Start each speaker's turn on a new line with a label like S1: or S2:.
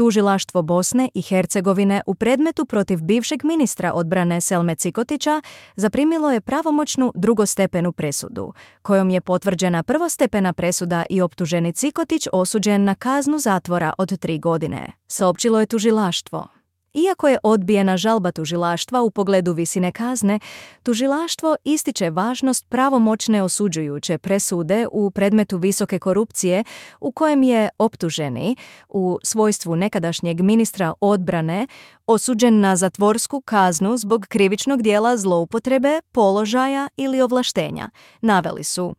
S1: Tužilaštvo Bosne i Hercegovine u predmetu protiv bivšeg ministra odbrane Selme Cikotića zaprimilo je pravomoćnu drugostepenu presudu, kojom je potvrđena prvostepena presuda i optuženi Cikotić osuđen na kaznu zatvora od 3 godine, saopćilo je tužilaštvo. Iako je odbijena žalba tužilaštva u pogledu visine kazne, tužilaštvo ističe važnost pravomoćne osuđujuće presude u predmetu visoke korupcije u kojem je optuženi, u svojstvu nekadašnjeg ministra odbrane, osuđen na zatvorsku kaznu zbog krivičnog dijela zloupotrebe, položaja ili ovlaštenja, naveli su.